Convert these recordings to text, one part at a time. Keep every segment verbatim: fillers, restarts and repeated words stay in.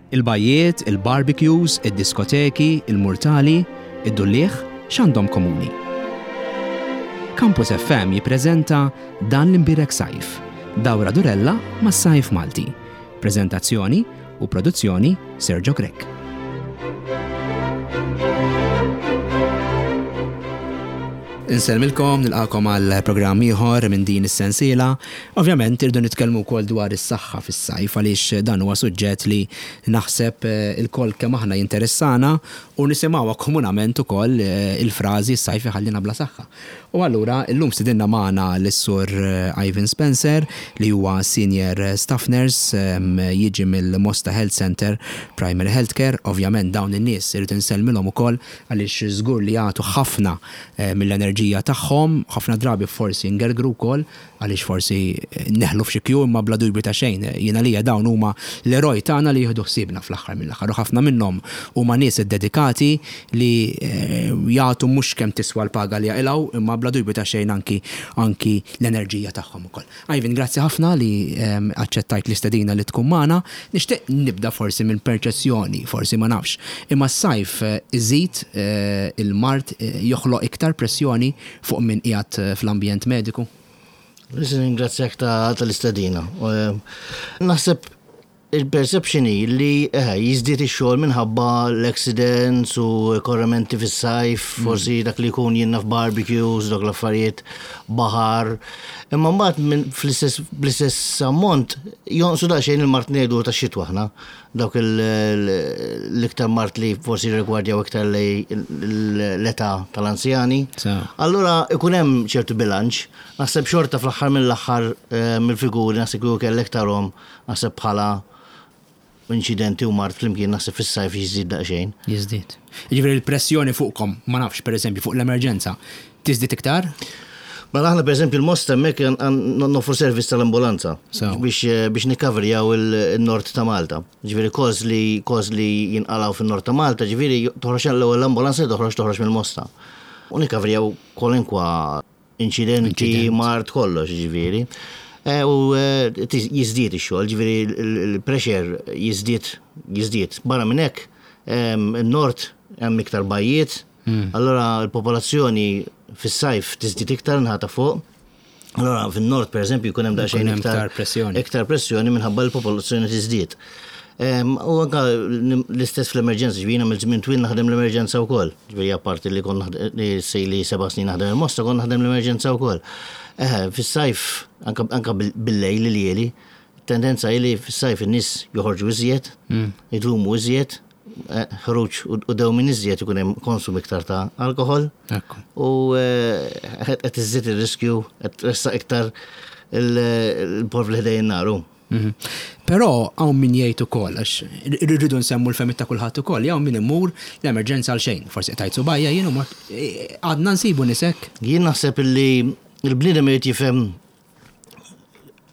Il-bajjiet, il-barbecues, id-diskoteki, il-murtali, id-dulliegħ, x'għandhom komuni? Campus F M jippreżenta Dan l-Imbierek Sajf, dawra durella mas-sajf Malti. Prezentazzjoni u produzzjoni, Sergio Grech. Insellmilkom, nilqagħkom għal programm ieħor minn din is-sensiela. Ovvjament irdu nitkellmu wkoll dwar is-saħħa fis-sajf, għaliex dan huwa suġġett li naħseb eh, il-koll kemm aħna jinteressana u nisimgħuha komunament ukoll eh, il-frażi "s-sajf iħallina bla saħħa". U allura illum stidinna magħna lis-Sur eh, Ivan Spencer, li huwa Senior Staff Nurse, jiġi mill-Mosta Health Center Primary Healthcare. Ovvjament dawn in-nies irid insellmilhom ukoll, għaliex żgur li jagħtu ħafna mill-enerġija tagħhom, ħafna drabi forsi ngergru wkoll għaliex forsi neħlu f'xi kju, imma bla dubju ta' xejn jiena lija dawn huma l-eroj tagħna li jieħdu ħsiebna fl-aħħar mill-aħħar. U ħafna minnhom huma nies iddedikati li eh, jagħtu mhux kemm tiswa l-paga li jaqilgħu, imma bla dubju ta' xejn anki anki l-enerġija tagħhom ukoll. Ivan, grazzi ħafna li ehm, aċċettajt l-istedina li tkun magħna. Nixtieq nibda forsi minn perċezzjoni, forsi ma nafx. Imma s-sajf eh, iżid eh, il-mard, joħloq iktar pressjoni fuq min qiegħed fl-ambjent mediku? Nirringrazzjak tal-istedina. Naħseb il-perception hi li eh, jiżdied ix-xogħol minħabba l-accidents u korrimenti fis-sajf, mm. forsi dak li jkun jiena f'barbecues, dak l-affarijiet, baħar. Imma mbagħad fl-istess ammont jonqsu daqsxejn il-mard ngħidu tax-xitwa aħna. Dawk l-iktar mard li forsi rigwardjaw iktar l-età tal-anzjani. Allura ikun hemm ċertu bilanċ. Naħseb xorta fl-aħħar mill-aħħar eh, mill-figuri naħseb kieku kellek tarahom, naħseb bħala inċidenti u mard flimkien, naħseb fis-sajf jiżdied daqsxejn. Jiżdied. Jiġifieri l-pressjoni fuqkom, ma nafx, pereżempju fuq l-emerġenza, tiżdied iktar? Mela aħna, pereżempju, il-Mosta hemmhekk noffru servizz tal-ambulanza biex eh, biex nikkaverjaw il-nord ta' Malta. Ġifieri calls li calls li jinqalgħu fin-nord ta' Malta, ġifieri toħroġ l-ewwel ambulanza, toħroġ toħroġ mill-Mosta. U nikkaverjaw kwalunkwa inċidenti, mard, kollox ġifieri. Eh, u eh, jiżdied ix-xogħol, ġifieri il-pressure jiżdied jiżdied. Barra minn hekk, in-nord hemm iktar bajjiet, hmm. allora l-popolazzjoni fis-sajf tiżdied iktar naħa ta' fuq. Allora fin-nord, pereżempju, jkun hemm daqsxejn iktar pressjoni. Iktar pressjoni minħabba l-popolazzjoni tiżdied. U anka l-istess fl-emerġenza, ġifieri mill żmien twil naħdem l-emerġenza wkoll. Ġifieri apparti li kon li sejli seba' snin naħdem il-Mosta, kon naħdem l-emerġenza wkoll. Eh, fis-sajf anka bil-lejl li lieli, tendenza li fis-sajf in-nies joħorġu iżjed, mm. idumu iżjed, eh, ħruġ u dewmien iżjed, ikun hemm konsum iktar ta' alkohol. U eh, qed iżżid ir-riskju, qed tressaq iktar il-porv li ħdejn in-nar. Mhm. Però hawn min jgħid ukoll, għax irridu nsemmu l-fehmiet ta' kulħadd ukoll, hawn min imur l-emerġenza għal xejn, forsi tajt subgħajja jien u għadna nsibu nies hekk. Jien naħseb illi il-bniedem irid jifhem,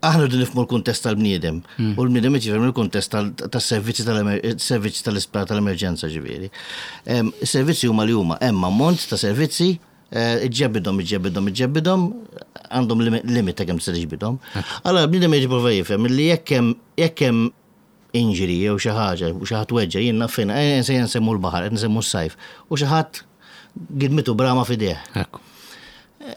aħna rridu nifhmu l-kuntest tal-bniedem hmm. u l-bniedem irid jifhem il-kuntest tas-servizzi tal-servizzi tal-isptar tal-emerġenza ġifieri. Is-servizzi huma li huma, hemm ammont ta' servizzi, eh, iġġebidhom, iġġebidhom, iġġebidhom, għandhom limit ta' kemm se tiġbidhom. Allora bniedem irid jipprova jifhem li jekk hemm jekk hemm injury jew xi ħaġa u xi ħadd weġġa', jien naf fejn, eh, se nsemmu l-baħar, qed nsemmu s-sajf, u xi ħadd gidmitu brama f'idejh.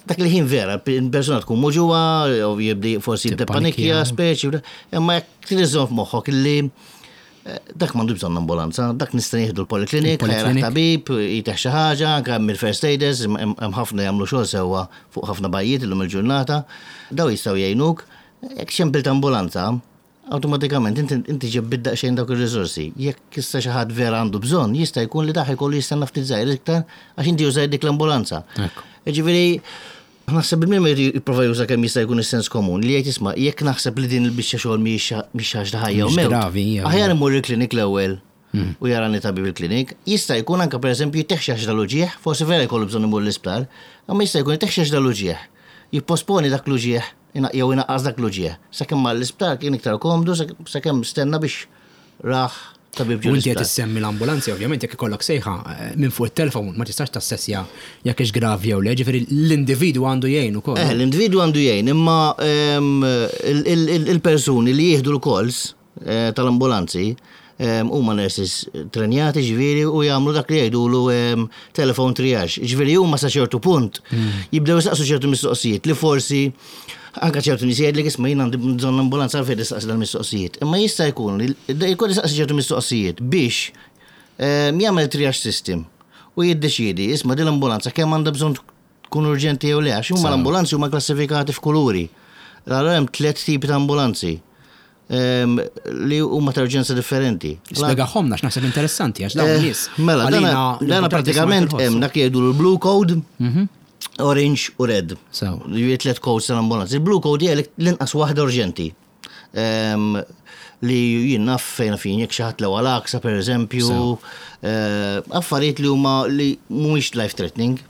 Dak li ħin vera, persuna tkun muġugħa, u jibdi forsi jibda panikja, speċi, imma jekk trid f'moħħok illi eh, dak m'għandu bżonn ambulanza, dak nista' nieħdu l-poliklinik, tabib, jtih xi ħaġa, anke hemm il-first aiders, hemm ħafna jagħmlu xogħol sewwa fuq ħafna bajjiet illum il-ġurnata, daw jistgħu jgħinuk. Jekk ċempilt ambulanza, automatikament inti ġibt daqsxejn dawk ir-riżorsi. Jekk issa xi ħadd vera għandu bżonn, jista' jkun li dak ikollu jistenna ftit żgħir iktar għax inti użajt dik l-ambulanza. Ġifieri naħseb il-min jipprova juża kemm jista' jkun is-sens komun li jgħid, "Isma', jekk naħseb li din il-biċċa xogħol mhix ħaġa ħajja u mewt. Aħjar imur il-klinik l-ewwel hmm. u jarani tabib il-klinik." Jista' jkun anke, pereżempju, jtih xi dal-uġigħ, forsi vera jkollu bżonn imur l-isptar, imma jista' jkun jtih xi dal-uġigħ. Jipposponi dak l-uġigħ jew inaqqas dak l-uġigħ. Sakemm mar l-isptar kien iktar komdu, sakemm stenna biex raħ tabib. U inti qed issemmi l-ambulanzi, ovvjament jekk ikollok sejħa eh, minn fuq it-telefon ma tistax tassessja jekk hix gravi jew le, ġifieri l-individwu għandu jgħin ukoll. Eh, l-individwu għandu jgħin, imma ehm, il-persuni li jieħdu l-calls eh, tal-ambulanzi Huma nurses trenjati, ġifieri, u jagħmlu dak li jgħidulu telephone triage. Ġifieri huma sa ċertu punt jibdew jistaqsu ċertu mistoqsijiet li forsi anka ċertu nies jgħidlek, "Isma', jien għandi bżonn ambulanza, għalfejn tistaqsi dal-mistoqsijiet?" Imma jista' jkun li jkun jistaqsi ċertu mistoqsijiet biex jagħmel triage system u jiddeċiedi, isma', din l-ambulanza kemm għandha bżonn tkun urġenti jew le, għax huma l-ambulanzi huma klassifikati f'kuluri. Allora hemm tliet tipi ta' ambulanzi li huma ta' urġenza differenti. Spjegahomlna, x'naħseb interessanti, għax dawn nies. Mela, dana pratikament hemm dak jgħidu l-blue code, orange u red. Ġifieri tliet codes tal-ambulanzi. Il-blue code hija l-inqas waħda urġenti. Li jien naf fejn fin jekk xi ħadd l għal per eżempju, affarijiet li huma li mhumiex life threatening.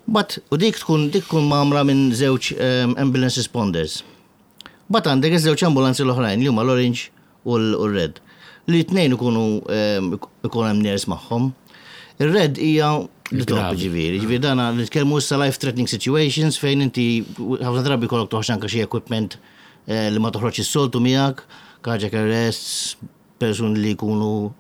But u dik tkun dik tkun mgħammra minn żewġ ambulance responders. But għandek iż-żewġ ambulanzi l-oħrajn li huma l-orange u l-red. Li t-tnejn ikunu ikun hemm nurse magħhom. Ir-red hija l-top, ġifieri, ġifieri dana nitkellmu issa life threatening situations fejn inti ħafna drabi kollok toħroġ anke xi equipment li ma toħroġ is-soltu miegħek, cardiac arrests, persuni li jkunu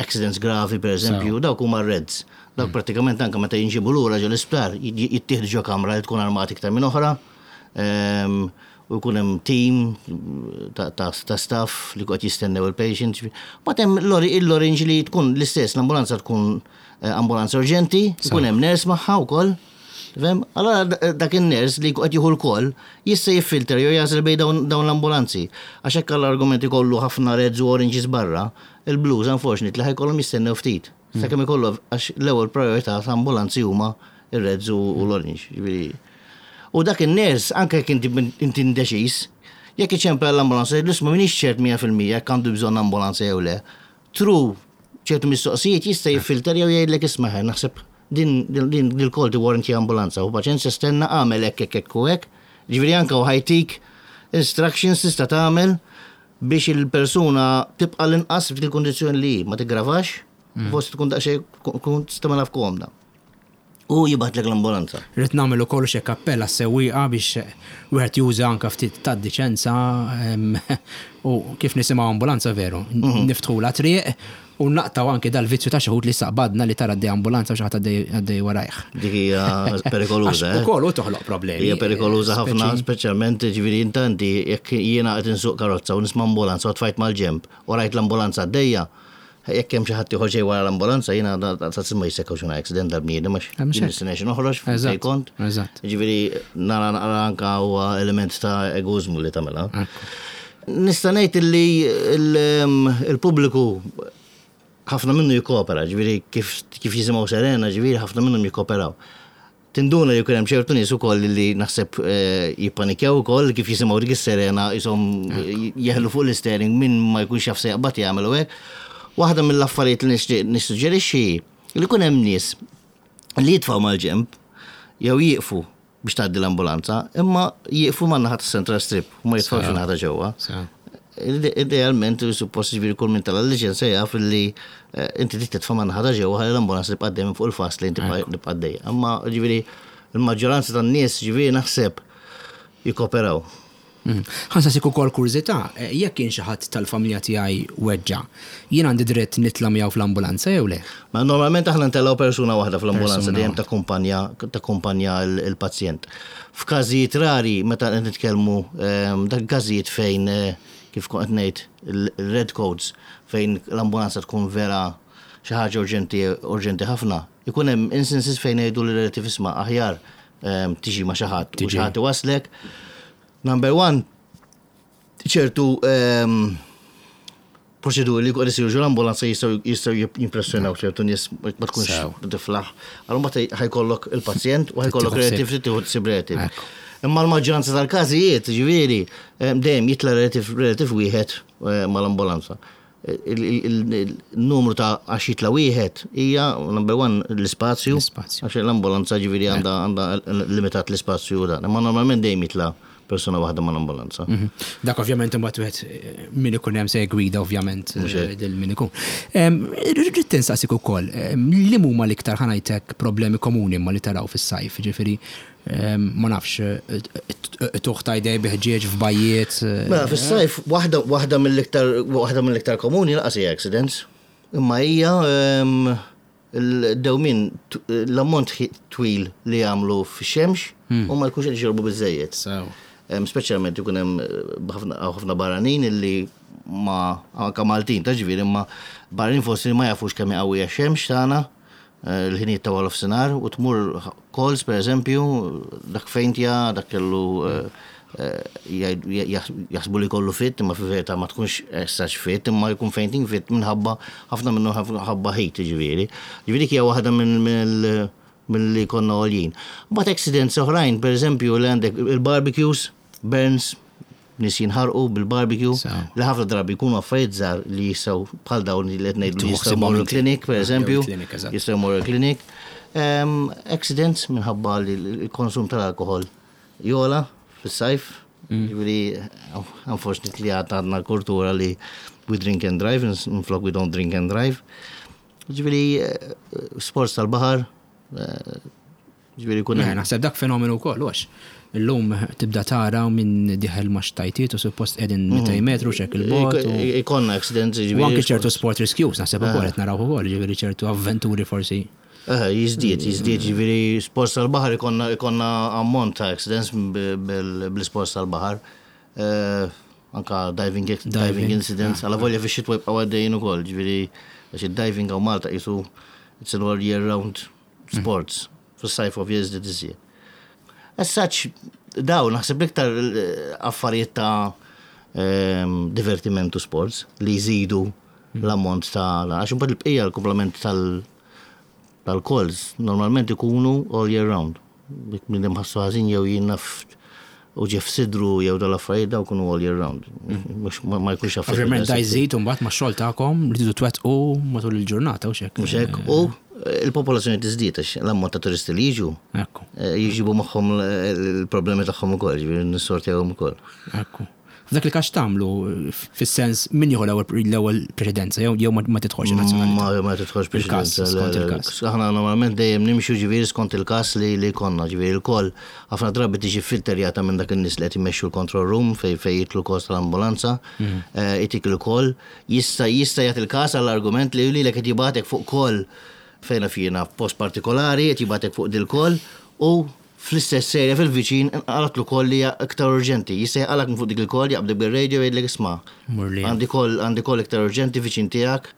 accidents gravi, per eżempju, dawk huma reds. Dawk pratikament anke meta jinġibu lura ġo l-isptar jittieħdu ġo kamra li tkun armati iktar minn oħra. U jkun hemm team ta' staff li qed jistennew il-patient. But hemm l-orange li tkun l-istess, l-ambulanza tkun ambulanza urġenti, jkun hemm nurse magħha wkoll. Fem? Allora dak in-nurse li qed jieħu l-call jista' jiffilter jew jagħżel bejn dawn l-ambulanzi. Għax hekk l-argumenti kollu ħafna reds u oranges barra, il-blues unfortunately ħa jkollhom jistennew ftit. Sakemm ikollu, għax l-ewwel priorità ta' ambulanzi huma ir-reds u l-orange. U dak in-nurse, anke jekk inti indeċiż, jekk iċempel l-ambulanza, jgħidlu, "M'iniex ċert mija fil-mija jekk għandu bżonn ambulanza jew le." Through ċertu mistoqsijiet jista' jiffilter jew jgħidlek, "Isma', naħseb din din il-call warranti ambulanza u paċenzja, stenna, għamel hekk, hekk, hekk u hekk." Ġifieri anke u ħa jtik instructions tista' tagħmel biex il-persuna tibqa' l-inqas f'dil kundizzjoni li ma tiggravax, forsi tkun daqsxejn kun tagħmilha f'komda. U jibgħatlek l-ambulanza. Rrid nagħmel ukoll xi appell għas-sewwieqa biex wieħed juża anke ftit ta' diċenza u kif nisimgħu ambulanza veru, niftħula triq u naqtgħu anke dal-vizzju ta' xi li saqbadna li tara għaddej ambulanza u xi ħadd għaddej warajh. Dik hija perikoluża. Eh? Ukoll u toħloq problemi. Hija perikoluża ħafna, speċjalment ġifieri intanti jekk jiena qed insuq karozza u nisma' ambulanza u tfajt mal-ġemb u rajt l-ambulanza għaddejja, jekk hemm xi ħadd ieħor ġej wara l-ambulanza, jiena ta' ma jissekkaw xi accident dal-bniedem għax jien nistennex noħroġ fejn kont. Ġifieri nara naqra anka huwa element ta' egoizmu li tagħmilha. Nista' ngħid li il-pubbliku ħafna minnu jikkopera, ġifieri kif kif jisimgħu serena, ġifieri ħafna minnhom jikkoperaw. Tinduna li jkun hemm ċertu nies ukoll li naħseb jippanikjaw ukoll kif jisimgħu dik is-serena, jisom jeħlu fuq l-steering, min ma jkunx jaf se jaqbad jagħmel u hekk. Waħda mill-affarijiet li nixtieq nissuġġerixxi li jkun hemm nies li jitfgħu mal-ġemb jew jieqfu biex tgħaddi l-ambulanza, imma jieqfu man naħa Central Strip u ma jitfgħux naħa ġewwa. Idealment, suppost, ġifieri kull min tela' l-liċenzja jaf li inti trid titfa' man naħa ġewwa ħalli l-ambulanza tibqa' minn fuq il-fast lane tibqa' għaddej. Imma ġifieri il-maġġoranza tan-nies, ġifieri, naħseb jikkoperaw. Ħa nsaqsik ukoll kurżità, jekk kien xi ħadd tal-familja tiegħi weġġa, jien għandi dritt nitla' miegħu fl-ambulanza jew le? Ma normalment aħna ntellgħu persuna waħda fl-ambulanza dejjem takkumpanja takkumpanja il-pazjent. F'każijiet rari meta qed nitkellmu dak każijiet fejn, kif kont qed ngħid, il-red codes, fejn l-ambulanza tkun vera xi ħaġa urġenti, urġenti ħafna, ikun hemm instances fejn jgħidu l-relative, "Isma', aħjar tiġi ma' xi ħadd u xi ħadd iwaslek." Number one, ċertu proċeduri li qed isiru ġo l-ambulanza jistgħu jistgħu jimpressjonaw ċertu nies, ma tkunx tiflaħ. Allura mbagħad ħa jkollok il-pazjent u ħa jkollok relative, tieħu ssib relative. Imma l-maġġoranza tal-każijiet, ġifieri, dejjem jitla' relative relative wieħed mal-ambulanza. Il-numru ta' għax jitla' wieħed hija number one l-ispazju, għax l-ambulanza ġifieri għandha għandha limitat l-ispazju dan. Imma normalment dejjem jitla' persuna waħda mal-ambulanza. Dak ovvjament imbagħad wieħed min ikun hemm se jgwida ovvjament lil min ikun. Rrid insaqsik ukoll li huma l-iktar, ħa ngħidlek, problemi komuni ma li taraw fis-sajf, ġifieri Ma nafx, tuħ ta' idej biħġieġ f'bajjiet. Mela, fis-sajf, waħda waħda mill-iktar waħda mill-iktar komuni lanqas hija accidents. Imma hija il-dewmin, l-ammont twil li jagħmlu fix-xemx u ma jkunx qed jixorbu biżejjed. Speċjalment ikun hemm ħafna barranin illi ma anka Maltin ta' ġifieri, imma barranin forsi ma jafux kemm qawwija x-xemx tagħna l-ħinijiet ta' nofsinhar u tmur calls, per eżempju, dak faintja, dak kellu jaħsbu li kollu fit, imma fi verità ma tkunx essax fit, imma jkun fainting fit minħabba ħafna minnu ħabba heat, ġifieri. Ġifieri hija waħda minn mill-li konna għoljin. But accidents oħrajn, per eżempju, li għandek il-barbecues, burns, nies jinħarqu bil-barbecue, li ħafna drabi jkunu affarijiet żgħar li jistgħu bħal dawn li qed ngħidu jistgħu jmorru clinic, per eżempju, jistgħu jmorru clinic. Accidents minħabba li l-konsum tal-alkohol jogħla fis-sajf, ġifieri unfortunately għadna kultura li we drink and drive, minflok we don't drink and drive. Ġifieri sports tal-baħar, ġifieri kun. Naħseb dak fenomenu wkoll, għax illum tibda tara minn dieħel ma' xtajtiet u suppost qegħdin mitejn metru xek il-bot. Ikollna accidents. U anke ċertu sport rescues, naħseb ukoll qed naraw ukoll, ġifieri ċertu avventuri forsi. Jiżdied, jiżdied, ġifieri sports tal-baħar ikollna ikollna ammont ta' accidents bil-sports tal-baħar. Anka diving, diving incidents, għala volja fi xitwa jibqgħu għaddejjin ukoll, ġifieri għax id-diving hawn Malta qisu it's an all year round sports. Fis-sajf ovvja jiżdied iżjed. As such, daw, naħseb l-iktar affarijiet ta' divertimentu sports li jżidu l-ammont ta' għax imbagħad il-bqija, l-komplement tal- tal-calls normalment ikunu all year round. Minn ħassu ħażin jew jinnaf u ġef sidru jew dal-affarijiet, daw kunu all year round. Ma jkunx affarijiet. Ovvjament da jżid mbagħad ma' xogħol tagħkom li tridu twettqu matul il-ġurnata u xek. Mhux hekk, u il-popolazzjoni tiżdied għax l-ammont ta' turisti li jiġu. Jiġibu magħhom il-problemi tagħhom ukoll, ġifieri nissortjawhom ukoll. Ekku. F'dak il każ tagħmlu, fis-sens min jieħu l-ewwel preċedenza jew jew ma tidħolx nazzjonalità? Ma tidħolx preċedenza. Skont il-każ. Aħna normalment dejjem nimxu ġifieri skont il-każ li li konna, ġifieri il-call ħafna drabi tiġi filterjata minn dak in-nies li qed imexxu l-control room fej fej jitlu calls tal-ambulanza, itik il-call, jista' jista' jagħti il-każ għall-argument li lilek qed jibgħatek fuq call fejna fjena post partikolari, qed jibgħatek fuq dil-call u fl-istess serja fil-viċin għalatlu call li iktar urġenti. Jista' jaqalak minn fuq dik il-call, jaqbdek bil-radio, jgħidlek: "Isma'. Għandi call għandi call iktar urġenti viċin tiegħek."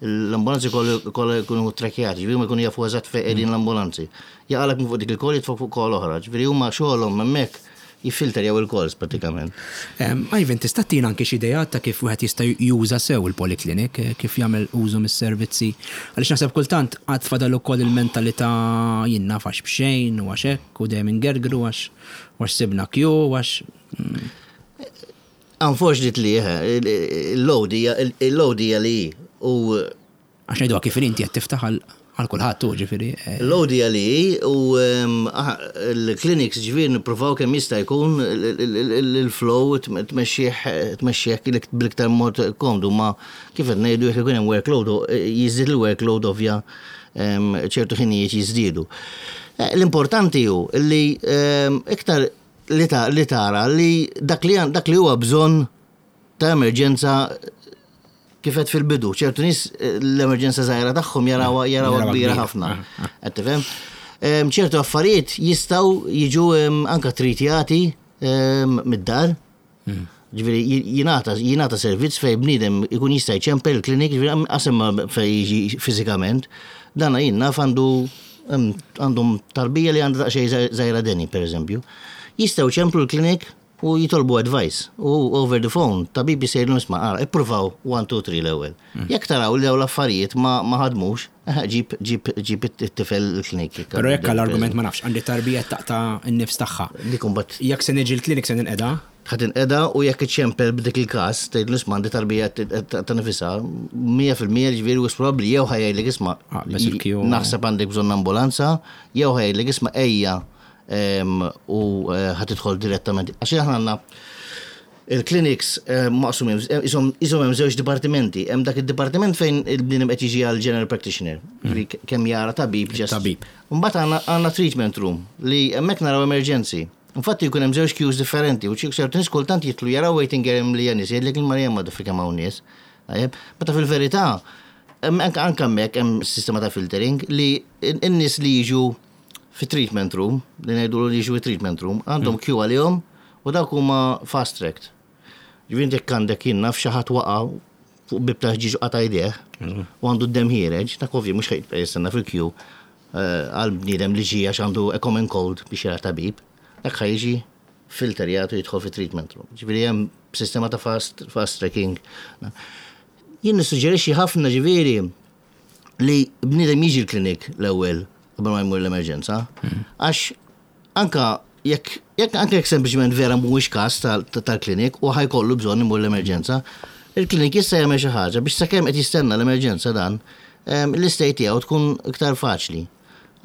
L-ambulanzi kollha jkunu trakjati, ġifieri ma jkunu jafu eżatt fejn qegħdin l-ambulanzi. Jaqalak minn fuq dik il-call, jitfgħek fuq call oħra, ġifieri huma xogħolhom hemmhekk jiffilterjaw il-calls pratikament. Ivan, tista' tina anke xi idea ta' kif wieħed jista' juża sew il-polyclinic, kif jagħmel użu mis-servizzi? Għaliex naħseb kultant għad fadal ukoll il-mentalità jien naf għax b'xejn u għax hekk u dejjem ingergru għax għax sibna kju għax. Unfortunately, il-load il-load hija li u Għax ngħidu kif inti qed tiftaħ għal kulħadd tu ġifieri. L-load hija li u l-clinics ġifieri nippruvaw kemm jista' jkun il-flow tmexxih bl-iktar mod komdu, ma kif qed ngħidu, jekk ikun hemm workload, jiżdied il-workload, ovvja ċertu ħinijiet jiżdiedu. L-importanti hu li iktar li tara li dak li dak li huwa bżonn ta' emerġenza, kifet fil-bidu, ċertu nies l-emerġenza żgħira tagħhom jarawha jarawha kbira ħafna. Qed tifhem? Ċertu affarijiet jistgħu jiġu anka tritjati mid-dar. Ġifieri jingħata jingħata servizz fej bniedem ikun jista' jċempel il-klinik, ġifieri qasem fej jiġi fiżikament. Dana jien naf għandu għandhom tarbija li għandha daqsxejn żgħira deni, per eżempju. Jistgħu ċemplu l-klinik u jitolbu advice u over the phone tabib jisejlu: "Isma', ara, ippruvaw one, two, three l-ewwel. Jekk taraw li dawn l-affarijiet ma ħadmux, ġib ġib ġib it-tifel il-klinik." Però jekk l-argument, ma nafx, għandi tarbija taqta' n-nifs tagħha. Dik imbagħad Jekk se niġi l-klinik se ninqeda. Ħa tinqeda u jekk iċċempel b'dik il-każ, tgħidlu: "Isma', għandi tarbija ta' nifisha", mija fil-mija ġifieri u probabbli jew ħa jgħidlek: "Isma', naħseb għandek bżonn ambulanza", jew ħa jgħidlek: "Isma', ejja u ħa tidħol direttament." Għax aħna għandna Il-clinics eh, maqsumin, isom isom hemm żewġ dipartimenti. Hemm dak id-dipartiment fejn il-bniedem qed jiġi għal general practitioner, ġifieri kemm jara tabib just. Tabib. Mbagħad għandna għandna treatment room li hemmhekk naraw emergency. Infatti jkun hemm żewġ queues differenti u xi ċertu nies kultant jidħlu jaraw waiting area li nies jgħidlek il-Marija ma kemm hawn nies. Tajjeb, meta fil-verità hemm anke anke hemmhekk hemm sistema ta' filtering li n-nies li jiġu fi treatment room, li ngħidu li jiġu fi treatment room, għandhom queue għalihom u dawk huma fast tracked. Ġifieri jekk għandek jien naf xi ħadd waqa' fuq bib ta' ħġieġ qata' jdejh u għandu d-dem ħiereġ, ta' ovvju mhux ħa jibqa' jistenna fil-queue eh, għal bniedem li ġie għax għandu a common cold biex jara tabib, dak ħa jiġi filterjat u jidħol fi treatment room. Ġifieri hemm sistema ta' fast, fast tracking. Jien nissuġġerixxi ħafna ġifieri li bniedem jiġi l-klinik l-ewwel qabel ma jmur l-emerġenza, għax anka jekk jekk anke jekk sempliċement vera mhuwiex każ tal-klinik u ħa jkollu bżonn imur l-emerġenza, il-klinik jista' jagħmel xi ħaġa biex sakemm qed jistenna l-emerġenza dan, l-istay tiegħu tkun iktar faċli.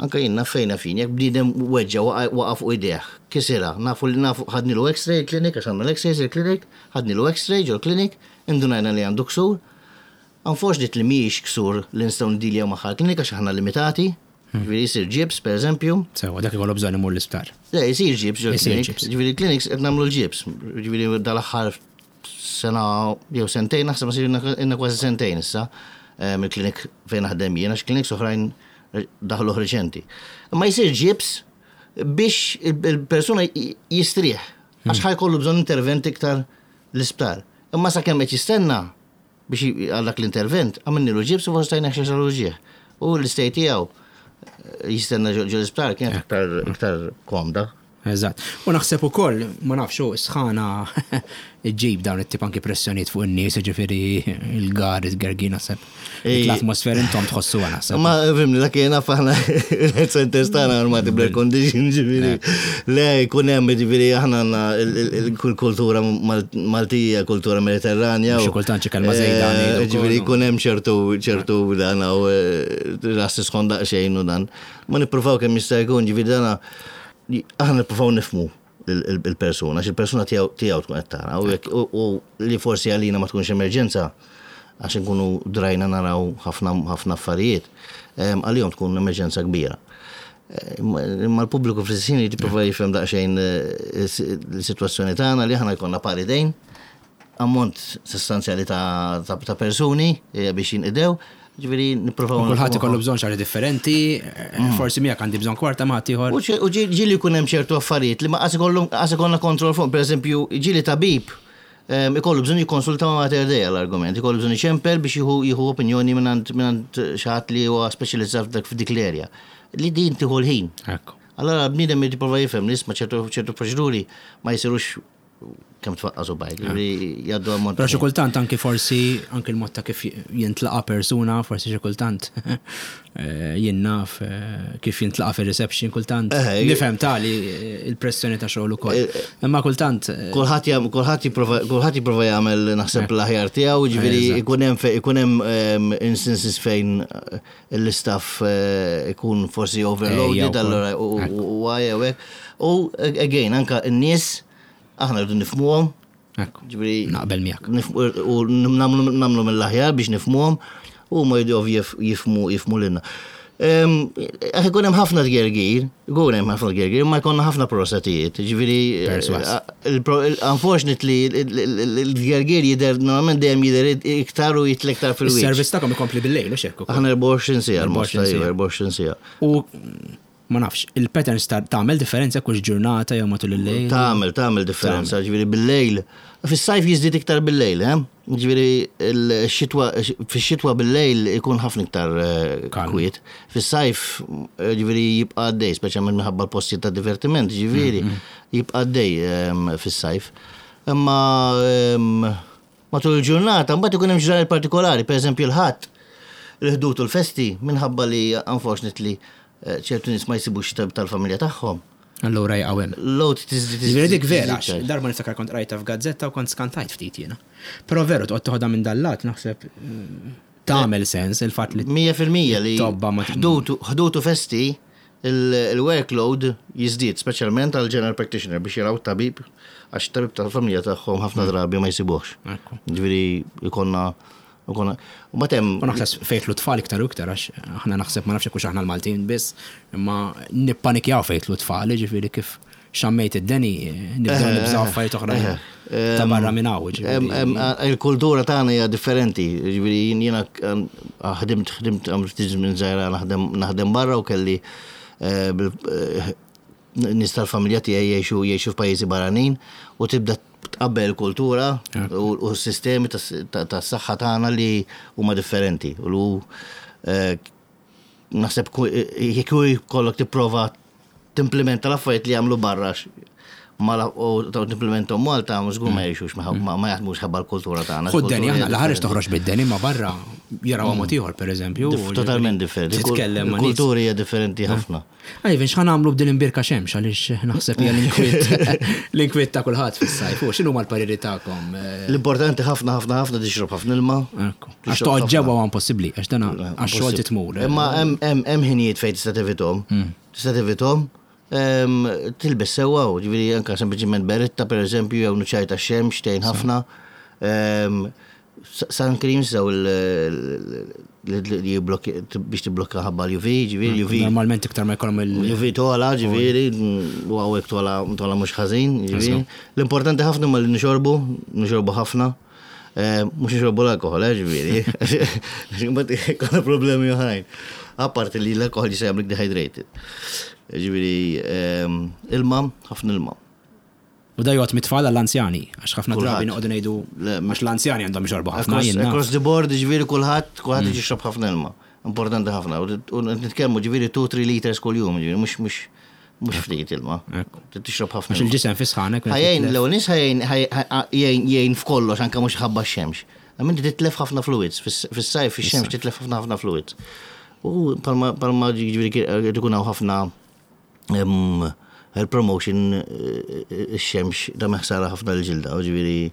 Anka jien naf fejna fin, jekk bniedem weġġa waqa' fuq idejh, kisira, nafu li nafu ħadnilu x-ray il-klinik, għax għandna l-x-rays il-klinik, ħadnilu x-ray ġol klinik, indunajna li għandu ksur. Unfortunately mhijiex ksur li nistgħu ndiljaw magħha l-klinik għax aħna limitati, ġifieri jsir ġibs, per eżempju. Sewa, dak ikollu bżonn imur l-isptar. Le, jsir ġibs ġol klinik. Ġifieri clinics qed nagħmlu l-ġibs. Ġifieri dal-aħħar sena jew sentejn, naħseb ma sirna kważi sentejn issa, mill-klinik fejn naħdem jien, għax clinics oħrajn daħlu reċenti. Ma jsir ġibs biex il-persuna jistrieħ, għax ħa jkollu bżonn intervent iktar l-isptar. Imma sa kemm qed jistenna biex għal dak l-intervent, għamilnilu ġibs u forsi tajna xi ġieħ. U l-istay tiegħu jistenna ġo l-isptar kienet iktar iktar komda. Eżatt. U naħseb ukoll, ma nafx, sħana iġġib dawn it-tip anki pressjonijiet fuq in-nies, ġifieri il-gar, il-gergi naħseb. L-atmosfera intom tħossuha naħseb. Ma fimni, dak jiena aħna il-health centers tagħna armati bl-air condition, ġifieri. Le, jkun hemm ġifieri aħna għandna il-kultura Maltija, kultura Mediterranja. Xi kultant xi kelma żejda. Ġifieri jkun hemm ċertu ċertu dan u ras tisħon daqsxejn u dan. Ma nippruvaw kemm jista' jkun, ġifieri dana aħna nippruvaw nifhmu il-persuna, għax il-persuna tiegħu tkun qed tara u li forsi għalina ma tkunx emerġenza għax nkunu drajna naraw ħafna ħafna affarijiet, għalihom tkun emerġenza kbira. Imma l-pubbliku fl-istess jipprova jifhem daqsxejn l-sitwazzjoni tagħna li aħna jkollna pari dejn, ammont sostanzjali ta' persuni biex jinqdew. Ġifieri nippruvaw. Kulħadd ikollu bżonn xi ħaġa differenti, forsi miegħek għandi bżonn kwarta ma ieħor. U ġieli jkun hemm ċertu affarijiet li ma qas ikollna kontroll fuq, pereżempju, ġieli tabib ikollu bżonn jikkonsulta ma' Mater Dei għall-argument, ikollu bżonn iċempel biex jieħu opinjoni minn xi ħadd li huwa speċjalizzat f'dik l-erja. Li din tieħu l-ħin. Allora bniedem jipprova jifhem li isma' ċertu proċeduri ma jsirux kemm tfaqqas u bajk, jgħaddu ammont. Però xi kultant anki forsi anki l-mod ta' kif jintlaqa persuna, forsi xi kultant jien naf kif jintlaqa fir-reception kultant. Nifhem tali il-pressjoni ta' xogħol ukoll. Imma kultant Kulħadd kulħadd jipprova kulħadd jipprova jagħmel naħseb l-aħjar tiegħu, ġifieri ikun hemm ikun hemm instances fejn l-istaff ikun forsi overloaded allura u hekk. U again anka n-nies aħna rridu nifhmuhom. Ġifieri naqbel miegħek. U nagħmlu mill-aħjar biex nifhmuhom u ma jridu jifhmu jifhmu lilna. Għax ikun hemm ħafna tgergir, ikun hemm ħafna tgergir, ma jkollna ħafna prosatijiet. Ġifieri unfortunately il-tgergir jidher normalment dejjem jidher iktar u jitla iktar fil-wiċċ. Is-servizz tagħkom ikompli bil-lejl u xekk. Aħna erbgħa u għoxrin siegħa, erbgħa u għoxrin siegħa. U ma nafx, il-patterns tagħmel differenza kux ġurnata jew matul il-lejl? Tagħmel, tagħmel differenza, ġifieri bil-lejl. Fis-sajf jiżdied iktar bil-lejl, eh? Ġifieri il-xitwa, fix-xitwa bil-lejl ikun ħafna iktar kwiet. Fis-sajf ġifieri jibqa' għaddej, speċjalment minħabba l-postijiet ta' divertiment, ġifieri jibqa' għaddej fis-sajf. Imma matul il-ġurnata mbagħad ikun hemm ġranet partikolari, pereżempju l-Ħadd, il-ħdud u l-festi, minħabba li unfortunately ċertu nies ma jsibux tal-familja tagħhom. Allura jaqgħu hemm. Load tiżdi Ġifieri dik vera, għax darba niftakar kont rajta f'gazzetta u kont skantajt ftit jiena. Però veru toqgħod toħodha minn dal-lat naħseb tagħmel sens il-fatt li Mija fil-mija li tobba ma ħdutu festi il-workload jiżdied, speċjalment għal general practitioner biex jaraw tabib Għax tabib tal-familja tagħhom ħafna drabi ma jsibuhx. Ekku. Ġifieri jkollna jkollna u mbagħad hemm U naħseb fejn jidħlu tfal iktar u iktar, għax aħna naħseb, ma nafx hekk aħna l-Maltin biss, imma nippanikjaw fejn jidħlu tfal, ġifieri kif xammejt id-deni, nibdew nibżaw affarijiet oħra ta' barra minn hawn. Em- ġifieri. em, a- Il-kultura tagħna hija differenti. Ġifieri jien jiena ħdimt ħdimt għamilt ftit żmien żgħira naħdem naħdem barra u kelli eh, bil- eh, nies tal-familja tiegħi jgħixu jgħixu f'pajjiżi barranin u tibda tqabbel il-kultura u u s-sistemi tas- ta- tas-saħħa tagħna li huma differenti. U lu eh, naħseb ku- jekk hu jkollok tipprova timplementa l-affarijiet li jagħmlu barra x- ma la- u ta' timplementom Malta mhux żgur ma jgħixux ma ma ma jaħdmux ħabba l-kultura tagħna. Xu d-deni, aħna Il-kultura l-ħareġ hija toħroġ bid-deni, ma barra jaraw mod ieħor, pereżempju. Dif- Totalment differenti. Titkellem ma' nies. Il-kultura hija differenti ħafna. Ivan, x'ħa nagħmlu b'din imbierka xemx, għaliex naħseb hija l-inkwiet l-inkwiet ta' kulħadd fis-sajf. U x'inhu mal-pariri tagħkom? Eh, L-importanti ħafna ħafna ħafna tixrob ħafna ilma. Ekku. Għax toqgħod ġewwa huwa impossibbli, għax dana għax xogħol titmur. Imma hemm hemm hemm ħinijiet fejn tista' tevitahom. Tista' tevitahom. Em, Tilbes sewwa, u ġifieri anke sempliċiment beretta pereżempju jew nuċċali tax-xemx tgħin ħafna. Em, Sun creams daw li jiblokki biex tiblokka ħabba l-U V, ġifieri U V. Normalment iktar ma jkollhom il- L-U V tola, ġifieri, u hawnhekk tola tola mhux ħażin, ġifieri. L-importanti ħafna ma li nixorbu, nixorbu ħafna. Eh, Mhux nixorbu l-alkohol, eh, ġifieri. Mbagħad ikollna problemi oħrajn. Apparti li l-alkohol jista' jagħmlek dehydrated. Ġifieri, ehm, ilma, ħafna ilma. U da jgħod mit-tfal għall-anzjani, għax ħafna Kulħadd. drabi noqogħdu ngħidu Le, għax l-anzjani għandhom jxorbu ħafna Across, jien naf. across the board, ġifieri kulħadd, kulħadd jixrob ħafna ilma. Importanti ħafna. U nitkellmu ġifieri two three liters kuljum, ġifieri mhux mhux mhux ftit ilma. Ekku. Tixrob ħafna. Għax ilma. il-ġisem fis-sħana. Ħa jgħin, l nies ħa jgħin jgħin jgħin f'kollox anke mhux ħabba x-xemx. Għax inti titlef ħafna fluids, fis-sajf fix-xemx titlef ħafna ħafna fluids. U palma palma ġifieri qed ikun hawn ħafna em, health promotion, eh, ix-xemx da meħsara ħafna l-ġilda, u ġifieri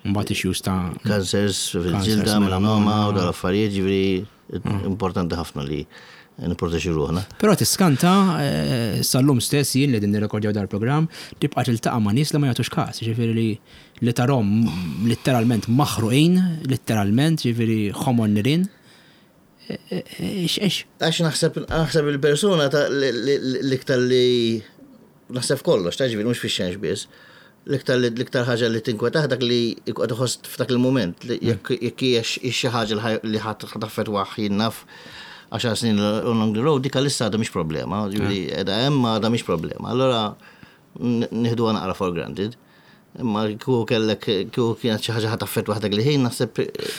Mbagħad issues ta' cancers fil-ġilda, Cancers, melanoma u dal-affarijiet, ġifieri importanti ħafna li nipproteġu ruħna. Però tiskanta eh, sal-lum stess jien li din nirrekordjaw dal-programm tibqa' tiltaqa' ma' nies li ma jagħtux każ, ġifieri li li tarahom letteralment maħruqin, letteralment, ġifieri ħomor nirien. Ix ix. Għax naħseb naħseb il-persuna ta' li- li- li- l-iktar li naħseb kollox, ta' ġifieri mhux fix-xemx biss. L-iktar li- l-iktar ħaġa li tinkwetah dak li qed iħoss f'dak il-moment li jekk jekk hija x- xi ħaġa li ħaj- li ħadd taffettwah jien naf għaxar snin along the road, dik issa għadha mhix problema, ġifieri qiegħda hemm għadha mhix problema. Allora n- nieħduha naqra for granted. Imma kieku kellek kieku kienet xi ħaġa ħa taffettwa dak li ħin naħseb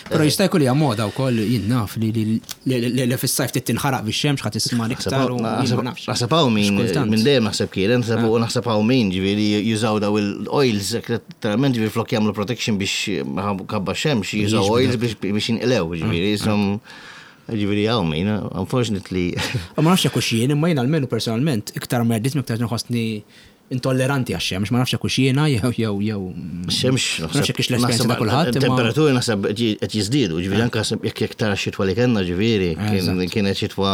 Però jista' jkun li hija moda wkoll, jien naf li li li li fis-sajf trid tinħaraq bix-xemx ħadd tisma' iktar u jien ma nafx. Naħseb hawn min, Xkultant. minn dejjem naħseb kien, naħseb u naħseb hawn min, ġifieri jużaw daw il-oils, letteralment ġifieri flok jagħmlu protection biex ħabba xemx, jużaw oils biex biex jinqlew, ġifieri jisom ġifieri hawn min, unfortunately. Ma nafx jekk hux jien, imma jien almenu personalment iktar ma għaddit iktar nħossni intolleranti għax-xemx, ma nafx jekk hux jiena jew jew jew. Xemx, Ma nafx jekk hix l-esperjenza ta' kulħadd, imma Temperaturi naħseb qed jiżdiedu, ġifieri anke jekk jekk tara xitwa li kellna, ġifieri, kien- kienet xitwa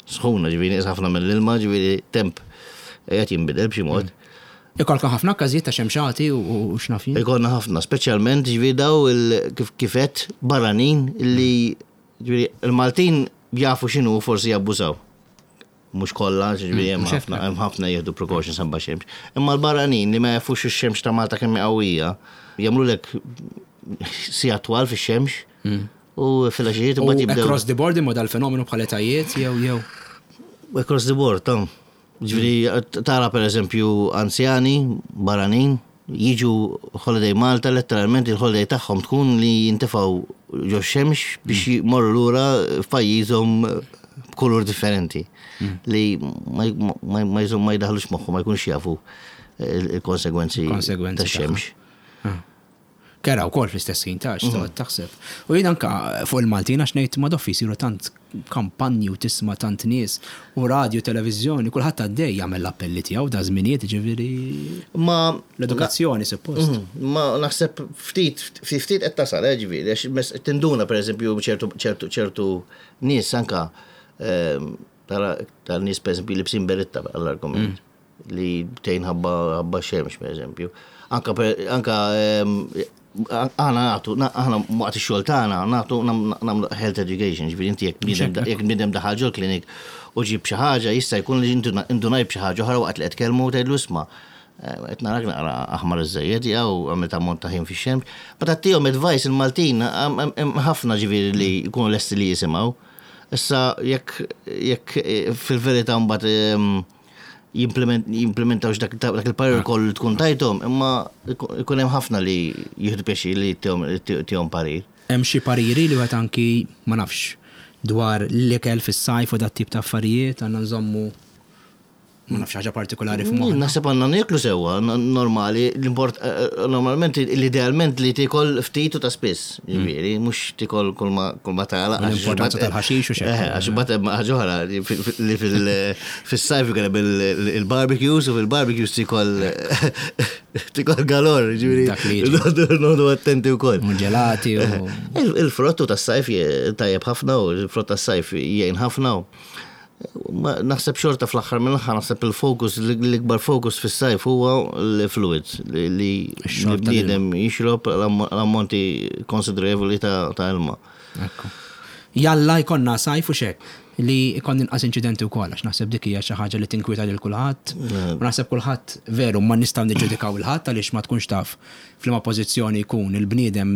sħuna, ġifieri nieqes ħafna mill-ilma, ġifieri temp qed jinbidel b'xi mod. Ikolkom ħafna każijiet ta' xemxati u u x'naf jien. Ikollna ħafna, speċjalment ġifieri daw il- kif kifet barranin illi ġifieri il-Maltin jafu x'inhu, forsi jabbużaw. Mhux kollha, ġifieri hemm mhux ħafna hemm ħafna jieħdu precautions ħabba xemx. Imma l-barranin li ma jafux ix-xemx ta' Malta kemm hi qawwija, jagħmlulek sigħat twal fix-xemx u fil-għaxijiet U imbagħad jibdew. across the board imma dal-fenomenu bħal etajiet jew jew. Across the board, ta' ġifieri, tara per eżempju anzjani, barranin, jiġu holiday Malta, letteralment il-holiday tagħhom tkun li jintefgħu ġo xemx biex jmorru lura f'pajjiżhom b'kulur differenti. Li ma ma- ma jżom ma jdaħlux moħħu, ma jkunx jafu il-konsegwenzi Konsegwenzi tax-xemx. Kera wkoll fl-istess ħin ta' x'toqgħod taħseb. U jien anka fuq il-Maltin għax ngħid ma doffi jsiru tant kampanji u tisma' tant nies u radio, televiżjoni, kulħadd għaddej jagħmel l-appelli tiegħu da żminijiet, ġifieri Ma l-edukazzjoni suppost. Mhm, Ma naħseb ftit, ftit ftit qed tasal, eh, ġifieri, għax mes- tinduna pereżempju ċertu ċertu ċertu nies anka ehm, tara tal nies pereżempju libsin beretta għall-argument. li tgħin ħabba xemx, per eżempju. Anka anka aħna nagħtu, aħna waqt ix-xogħol tagħna nagħtu, nagħmlu health education, ġifieri inti jekk bniedem daħal ġol klinik u ġib xi ħaġa, jista' jkun li indunaj b'xi ħaġa oħra waqt li qed kellmu, tgħidlu: "Isma', qed narak naqra aħmar iżżejjed jew għamilt ammont ta' ħin fix-xemx." Ma tagħtihom advice, il-Maltin ħafna ġifieri li jkunu lesti li jisimgħu. Issa jekk jekk fil-verità mbagħad jimplementawx dak il-parir kollu tkun tajthom, imma ikun hemm ħafna li jieħdu pjaċir li tihom parir. Hemm xi pariri li wieħed anki, ma nafx, dwar l-ikel fis-sajf u dat tip ta' affarijiet, għandna nżommu, ma nafx, ħaġa partikolari f'moħħna? Naħseb għandna nieklu sewwa, normali, l-import, eh, eh, normalment, l-idealment li tikol ftit u ta' spiss, ġifieri, mhux tikol kull ma tala. L-importanza tal-ħaxix u xek. Eh, għax imbagħad ħaġa oħra li fil-sajf ikun hemm il-barbecues u fil-barbecues tikol tikol galore, ġifieri. Dak li jiġi. Noqogħdu attenti wkoll. U ġelati u. Il-frottu tas-sajf tajjeb ħafna u il-frott tas-sajf jgħin ħafna. Ma naħseb xorta fl-aħħar mill-aħħar naħseb il-fokus, l-ikbar fokus fis-sajf huwa l-fluids li li Ix-xorb l-bniedem jixrob l-ammonti konsiderevoli ta' ta' ilma. Ekku. Jalla jkollna sajf u xek li jkun inqas inċidenti wkoll, għax naħseb dik hija xi ħaġa li tinkwieta lil kulħadd. U naħseb kulħadd, veru, ma nistgħu niġġudikaw il-ħadd għaliex ma tkunx taf f'liema pożizzjoni jkun il-bniedem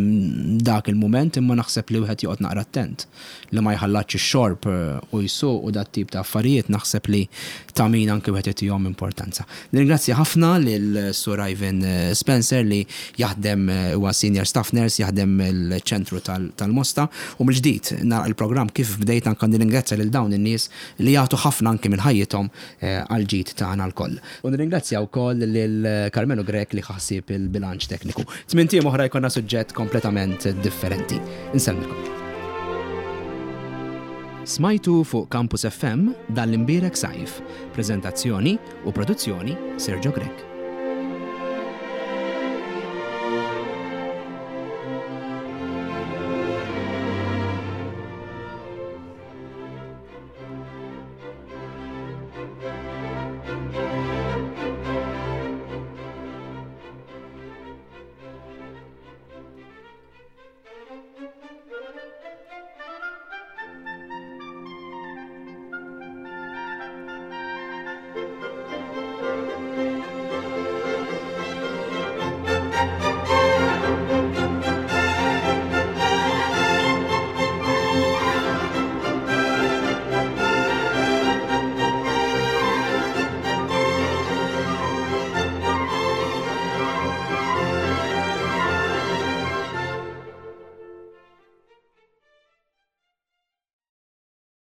dak il-mument, imma naħseb li wieħed joqgħod naqra attent li ma jħallatx ix-xorb eh, u jsuq u dat tip ta' affarijiet, naħseb li ta' min anke wieħed jagħtihom importanza. Nirringrazzja ħafna lil Sur Ivan eh, Spencer li jaħdem, eh, huwa senior staff nurse, jaħdem il-ċentru tal-Mosta, u mill-ġdid nara il-programm kif bdejt, anke nirringrazzja lil dawn in-nies li jagħtu ħafna anke minn ħajjithom eh, għal ġid tagħna lkoll. U nirringrazzja wkoll lil Carmelo Grech li ħassib il-bilanċ tekniku. Tmint ijiem oħra jkollna suġġett kompletament differenti. Insellmilkom. Smajtu fuq Campus F M Dan l-Imbierek Sajf. Prezentazzjoni u produzzjoni Sergio Grech.